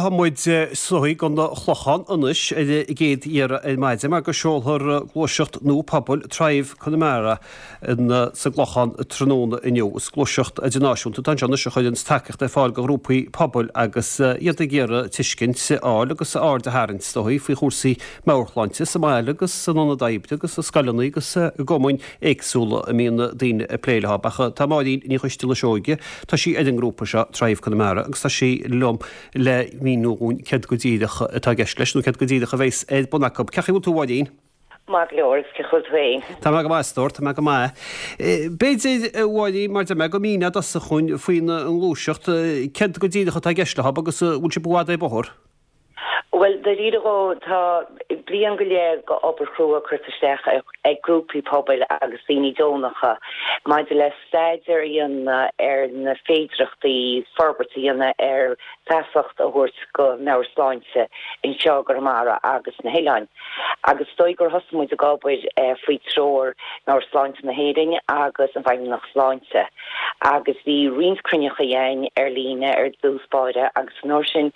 Tá muid is dóigh don Chlochán anois ar an gcéad iarraidh ar maidin mar go seolfar gluaiseacht nua pobail Thrive Connemara sa gClochán tráthnóna inniu. Is gluaiseacht idirnáisiúnta atá anseo anois a chuireann tacaíocht ar fáil do ghrúpaí pobail agus iad ag iarraidh tuiscint a fháil agus aird a tharraingt is dóigh faoi chúrsaí meabhairshláinte sa mbaile agus san ionad oibre agus i scoileanna agus i gcumainn éagsúla a mbíonn daoine ag plé leo. Ach tá Máirín Ní Choisdealbha Seoige, tá sí ar an ngrúpa seo, Thrive Connemara, agus tá sí liom le míniú dhúinn céard go díreach atá i gceist leis, nó céard go díreach a bheas ar bun acu. Cén chaoi a bhfuil tú, a Mháirín? Maith go leor, agus cén chaoi a bhfuil tú féin? Tá mé go maith, a stór, tá mé go maith. B'fhéidir, a Mháirín, mar deir mé, go míneofá i dtosach dhúinn faoin ngluaiseacht, céard go díreach atá i gceist leo agus an bhfuil sibh i bhfad ar bóthar? Bhuel, dáiríre dhó, tá bliain go leith d'obair chrua curtha isteach ag grúpaí pobail agus daoine deonacha maidir le staidéar a dhéanamh ar na féidearthachtaí forbairt a dhéanamh ar feasacht a thabhairt go meabhairshláinte anseo i gConamara agus sna hoileáin. Agus is dóigh gur thosaigh muid ag obair faoi treoir Meabhairshláinte na hÉireann agus an Feidhmeannacht Sláinte. Agus bhí roinnt cruinneachaí againn ar líne ar dtús báire agus an uair sin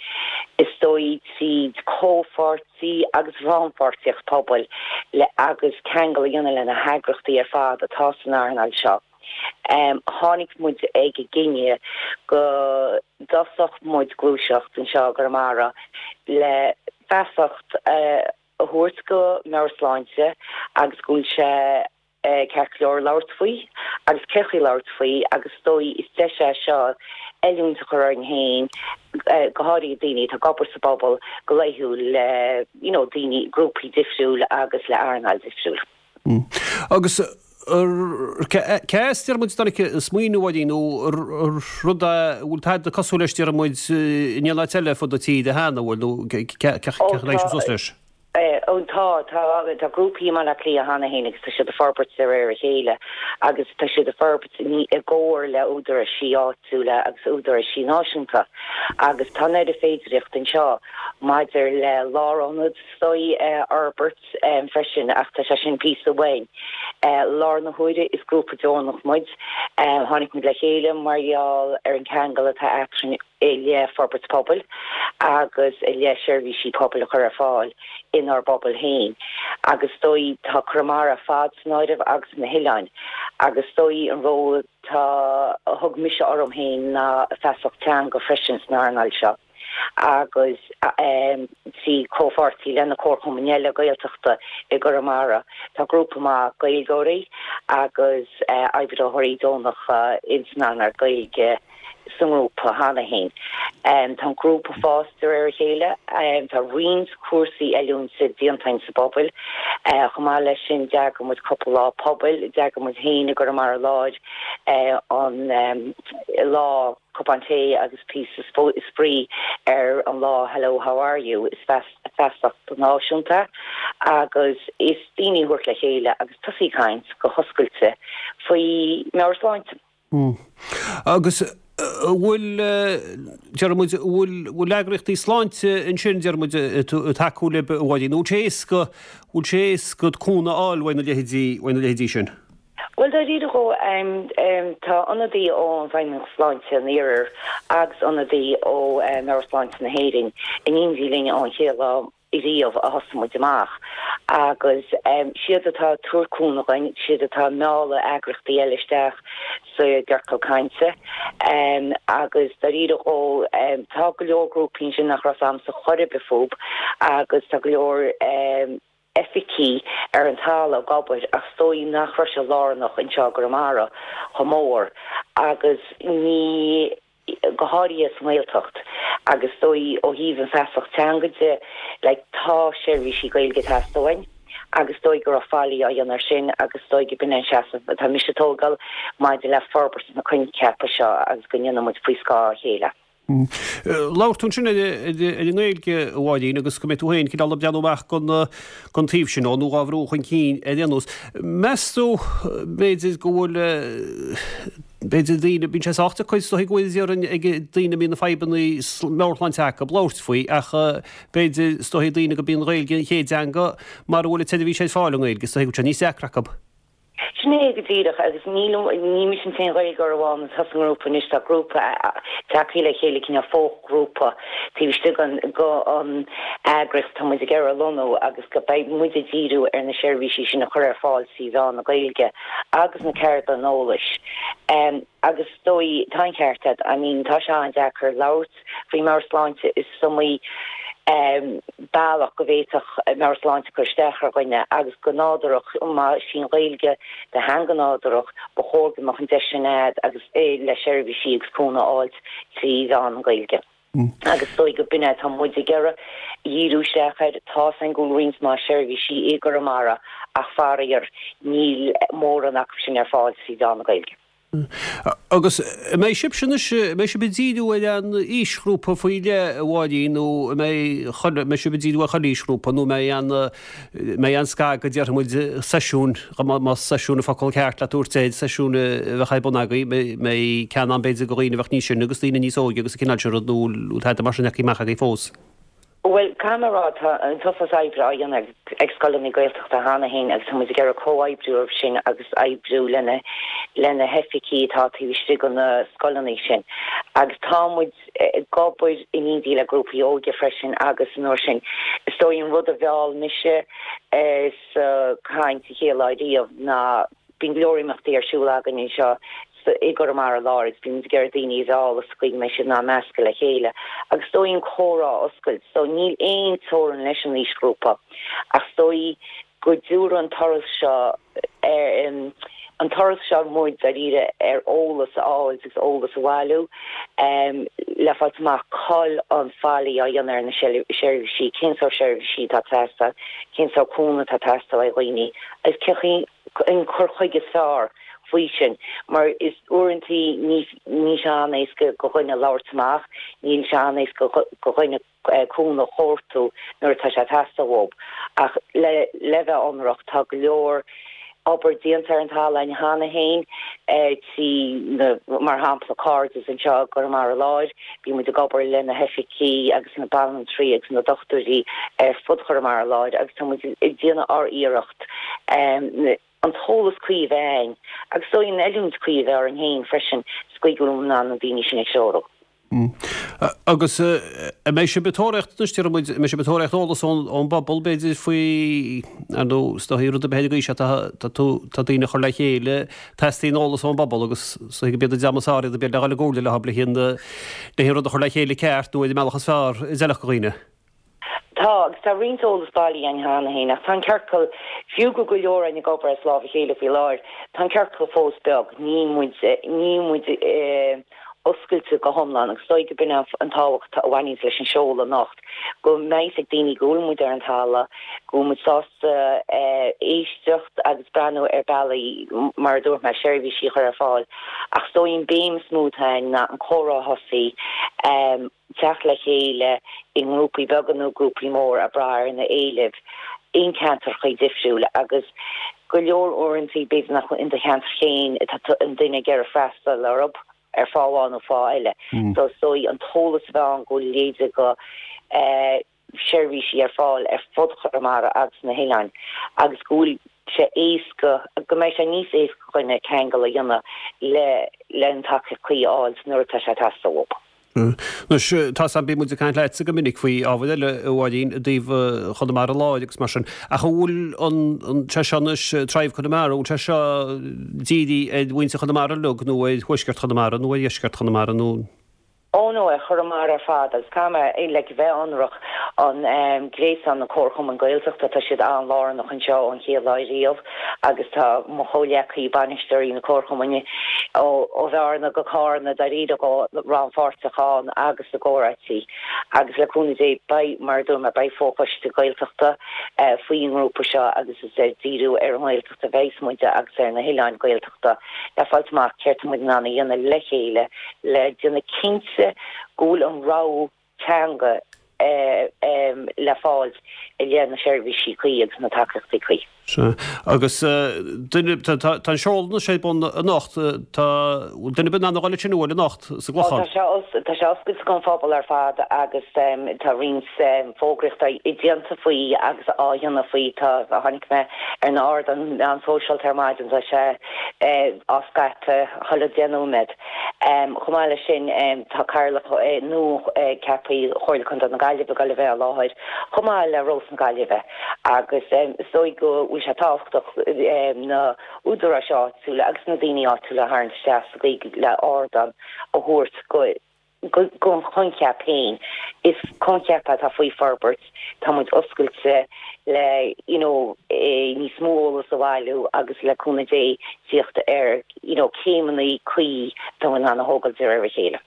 is dóigh tríd comhpháirtí agus rannpháirtíocht pobail le agus ceangal a dhéanamh le na heagrachtaí ar fad atá san earnáil seo tháinig muid ag an gcinneadh go dtosódh muid gluaiseacht anseo i gConamara le feasacht a thabhairt go meabhairshláinte agus go bhfuil sé ceart go leor labhairt faoi agus cén chaoi labhairt faoi agus is dóigh is deis é seo oiliúint a chur orainn féin, go háirithe daoine atá ag obair sa bpobal go laethúil le you know daoine, grúpaí difriúil agus le earnáil difriúil. Agus cé as deir muid a tháinig an smaoineamh a Mháirín nó rud a bhfuil tada cosúil leis deir muid in aon áit eile ar fud na tíre cheana, bhfuil nó cé chaoi a tháinig sibh suas leis? Ó tá, tá, tá grúpaí i mBaile Átha Cliath cheana féin agus tá siad ag forbairt de réir a chéile agus tá siad ag forbairt i gcomhar le údaráisí áitiúla agus údaráisí náisiúnta agus tá an oiread féidireacht anseo maidir le lárionad is dóigh a fhorbairt freisin ach tá sé sin píosa uainn. Láthair na huaire is grúpa deonach muid. Tháinig muid le chéile mar gheall ar an ceangal atá eadrainn. i leith forbairt pobail agus i leith seirbhísí pobail a chur ar fáil inár bpobail féin agus is dóigh tá Conamara ar fad san áireamh agus na hoileáin agus is dóigh an ról atá a thug mise orm féin ná feasacht teanga freisin san earnáil seo agus trí comhpháirtí le na comharchumainn eile Gaeltachta i gConamara. Tá grúpa maith Gaeilgeoirí agus oibritheoirí deonacha ins an earnáil Gaeilge sa ngrúpa cheana féin. Tá an grúpa ag fás de réir a chéile. Tá roinnt cúrsaí oiliúinte déanta againn sa bpobal. Chomh maith leis sin d'eagraigh muid cúpla lá pobail. D'eagraigh muid féin i gConamara Láir an lá cupán tae agus píosa spraoi ar an lá Hello How Are You. Is feasacht náisiúnta agus is daoine a thabhairt le chéile agus tosaí ag caint go hoscailte faoi meabhairshláinte. Agus an bhfuil, deir muid, an bhfuil, bhfuil eagraíochtaí sláinte ansin, deir muid, ag tacú libh, a Mháirín, nó bhfuil sé éasca, bhfuil sé éasca cúnamh a fháil uaidh na leithéidí, uaidh na leithéidí sin? Bhuel, dáiríre dhó, tá ionadaí ón bhFeidhmeannacht Sláinte an Iarthair agus ionadaí ó Meabhairshláinte na hÉireann in éindí linn ón chéad lá riamh a thosaigh muid amach agus siad atá ag tabhairt cúnamh dhuinn, siad atá ag mealladh eagraíochtaí eile isteach sa gciorcal cainte agus dáiríre dhó tá go leor grúpaí ansin nach raibh 's a'msa chor ar bith fúb agus tá go leor oifigí ar an talamh ag obair ach is dóigh nach raibh sé lárnach anseo i gConamara chomh mór agus ní go háirithe sa nGaeltacht agus is dóigh ó thaobh an feasacht teanga de, like tá seirbhísí Gaeilge ag teastáil uainn agus is dóigh go raibh faillí á dhéanamh ar sin agus is dóigh go b'in é an seasamh atá mise a tógáil maidir le forbairt na coincheapa seo agus go ndéanfaidh muid faoi scáth a chéile. Labhair tú ansin ar an nGaeilge, a Mháirín, agus go mbeidh tú féin cineál ag breathnú amach don taobh sin, nó dhá bhrú chun cinn ar aon nós. Meas tú, b'fhéidir, go bhfuil, b'fhéidir, daoine, bíonn sé sách deacair is dóigh go bhfuil déarfainn ag daoine a mbíonn na fadhbanna meabhairshláinte acu labhairt faoi ach b'fhéidir, is dóigh, daoine go mbíonn an Ghaeilge an chéad teanga mara bhfuil an tseirbhís ar fáil i nGaeilge, is dóigh go bhfuil sé níos deacra acu. Sin é go díreach, agus níl, ní mise an t-aon Ghaeilgeoir amháin atá sa ngrúpa anois, tá grúpa tagtha le chéile, cineál foghrúpa taobh istigh den eagraíocht atá muid ag iarraidh a lonnú agus go beidh muid ag díriú ar na seirbhísí sin a chur ar fáil trí mheán na Gaeilge agus na ceardlanna eolais. Agus is dóigh, tá an ceart agat, I mean tá sé an-deacair labhairt faoi mheabhairshláinte, is iomaí bealach go bhféadfadh meabhairshláinte cur isteach ar dhuine agus go nádúrach, más í an Ghaeilge do theanga nádúrach, ba chóir go mbeadh an deis sin agat agus le seirbhísí agus cúnamh a fháilt trí mheán na Gaeilge. Agus is dóigh go b'in é atá muid ag iarraidh dhíriú isteach air. Tá 's againn go bhfuil roinnt mhaith seirbhísí i gConamara ach faraor níl mórán acu sin ar fáil trí mheán na Gaeilge. Agus an mbeidh sibhse anois, an mbeidh sibh ag díriú ar aon aoisghrúpa faoi leith, a Mháirín, nó an mbeidh chuile, an mbeidh sibh ag díriú ar chuile aoisghrúpa, nó an mbeidh aon, an mbeidh aon scagadh, déarfaidh muid, seisiúin, más seisiún an focal ceart le tabhairt air, seisiún a bheadh ar bun agaibh, an mbeidh ceann ann b'fhéidir do dhaoine a bheadh níos sine agus daoine níos óige agus an cineál sin rud, nó bhfuil tada mar sin leagtha amach agaibh fós? Bhuel, caithfidh mé a rá, tá an t-uafás oibre á dhéanamh ag scoileanna Gaeltachta cheana féin agus tá muid ag iarraidh comhoibriú orthu sin agus oibriú lena le na hoifigí atá taobh istigh de na scoileanna sin. Agus tá muid ag obair in éindí le grúpaí óige freisin agus an uair sin, is dóigh an rud a mheall mise sa chaint an chéad lá riamh ná Bíonn go leor imeachtaí ar siúl againn anseo i gConamara Láir agus bíonn muid ag iarraidh daoine a mhealladh sa chaoi go mbeidh siad in ann meascadh le chéile agus is dóigh an comhrá a oscailt. So níl aon teorainn leis an aoisghrúpa ach is dóigh go dtabharfaidh an turas seo an turas seo muid dáiríre ar eolas a fháilt agus eolas a bhailiú le fáilt amach cá bhfuil an faillí á dhéanamh ar na seirbhísí, cén sórt seirbhísí atá ag teastáil, cén sórt cúnamh atá ag teastáil ó dhaoine agus cé chaoi an cur chuige is fearr faoi sin mar is uaireantaí ní níl sé an-éasca go dhuine labhairt amach, níl sé an-éasca go dhuine cúnamh a chuartú nuair atá sé ag teastáil uathub. Ach le le bheith ionraic tá go leor obair déanta ar an talamh againn cheana féin trí na mar shampla Cairdeas anseo i gConamara Láir, bíonn muid ag obair le na hoifigí agus na banaltraí agus na dochtúirí ar fud Chonamara Láir agus tá muid ag déanamh ár iarracht an t-eolas cuí a bheith againn agus is dóigh an oiliúint cuí a bheith orainn féin freisin sa gcaoi go bhfuil muid in ann na daoine sin a threorú. Agus an mbeidh sibh ag tóraíocht anois, déarfaidh muid, an mbeidh sibh ag tóraíocht eolas ón bpobal, b'fhéidir, faoi, ar ndóigh, is dóigh rud ar bith ar an gcaoi seo, tá, tá tú, tá daoine a chur le chéile, teastaíonn eolas ón bpobal agus is dóigh gurb iad an dream is fearr iad, b'fhéidir, le dhul i gcomhairle leo, le haghaidh an, le haghaidh an rud a chur le chéile ceart nó ar an mbealach is fearr a d'fheilfeadh do dhaoine. Tá, agus tá roinnt eolas bailithe againn cheana féin, ach tá an ciorcal, fiú go bhfuil go leor againn ag obair as lámh a chéile faoi láthair, tá an ciorcal fós beag, níl muid, níl muid oscailte go hiomlán agus is dóigh go b'in an tábhacht a bhaineanns leis an seoladh anocht, go mbeidh fhios ag daoine go bhfuil muid ar an talamh, go bhfuil muid sásta éisteacht agus breathnú ar bealaí, mar a dúirt mé, seirbhísí a chur ar fáil. Ach is dóigh an béim is mó atá againn ná an comhrá a thosaí, teacht le chéile i ngrúpaí beaga nó grúpaí móra ag brath ar na éilimh in ceantracha difriúla agus go leor uaireanta b'fhéidir nach in do cheantar féin atá an duine ag iarraidh freastal orthu ar fáth amháin nó fáth eile. So is dóigh an t-eolas a bheith ann go bhfuil leithéide go seirbhísí ar fáil ar fud Chonamara agus na hoileáin agus go bhfuil sé éasca, go mbeidh sé níos éasca do dhuine ceangal a dhéanamh le le an tacaíocht cuí a fháil nuair atá sé ag teastáil uathu. Anois, tá 's a'm, bíonn muid ag caint leatsa go minic faoi ábhair eile, a Mháirín, i dtaobh Chonamara Láir agus mar sin, ach an bhfuil an, an, sé seo anois, Thrive Conamara, an bhfuil sé seo dírithe ar mhuintir Chonamara uilig nó ar thuaisceart Chonamara nó ar dheisceart Chonamara nó? Oh no, ar Chonamara ar fad agus caithfidh mé, like, bheith ionraic, an gréasán na comharchumainn Gaeltachta, tá siad an-lárnach anseo ón chéad lá riamh agus tá mo chomhghleacaí, bainisteoirí na comharchumainn ó Bhearna go Cárna dáiríre rannpháirteach ann agus i gcomhráití agus le cúnamh Dé beidh, mar a dúirt mé, beidh fochoiste Gaeltachta faoin ngrúpa seo agus is ag díriú ar an nGaeltacht a bheas muide agus ar na hoileáin Ghaeltachta. Le fáilt amach céard tá muid in ann a dhéanamh le chéile le déanamh cinnte go bhfuil an rogha teanga le fáilt i leith na seirbhísí cuí agus na tacaíochtaí cuí. Sea. Agus duine, tá an seoladh anois ar bun anocht, tá, bhfuil duine ar bith in ann a dhul ansin, an bhfuil, anocht sa gClochán? Tá sé, tá sé oscailte don phobal ar fad agus tá roinnt fógraíochta déanta faoi agus á dhéanamh faoi. Tá, tháinig mé ar na hardáin meán sóisialta ar maidin, tá sé á scaipeadh chuile 10 nóiméad. Chomh maith leis sin, tá Cathaoirleach nua ceaptha Chomhairle Contae na Gaillimhe ag dul a bheith i láthair, chomh maith le Rós na Gaillimhe. Agus is dóigh go bhfuil sé tábhachtach na údaráis áitiúla agus na daoine áitiúla a tharraingt isteach sa gcaoi le ardán a thabhairt don choincheap féin. Is coincheap é atá faoi forbairt, tá muid oscailte le you know níos mó eolas a bhailiú agus le cúnamh Dé tíocht ar you know céimeanna cuí atá in ann a thógáil de réir a chéile.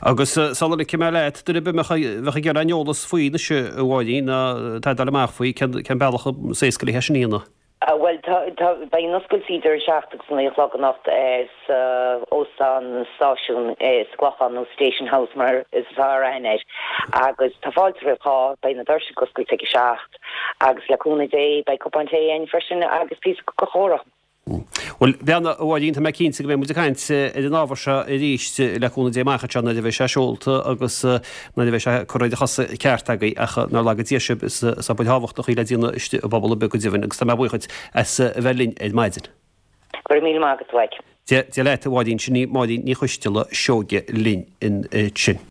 Agus sula ligfidh mé leat, duine ar bith a bheadh ag iarraidh aon eolas faoi anois, a Mháirín, ná atá ag dul amach faoi, cén bealach is éasca le é sin a dhéanamh? Bhuel, tá, tá, beidh an oscailt idir 7 agus 9 a chlog anocht sa Óstán Stáisiún sa gClochán, nó Station House mar is fearr aithne air, agus tá fáilte roimh chách, beidh na doirse ag oscailt ag a 7 agus le cúnamh Dé beidh cupán tae againn freisin agus píosa comhrá. Bhuel, bean a Mháirín, tá mé cinnte go mbeidh muid ag caint ar an ábhar seo arís le cúnamh Dé amach anseo nuair a bheidh sé seolta agus nuair a bheidh sé curtha ar a chosa ceart agaibh ach nár laga Dia sibh, is obair thábhachtach í le déanamh istigh i bpobal ar bith go deimhin agus tá mé buíoch duit as a bheith linn ar maidin. Go raibh míle maith agat, a Mhaidhc. Dia leat, a Mháirín, sin í Máirín Ní Choisteala Seoige linn ansin.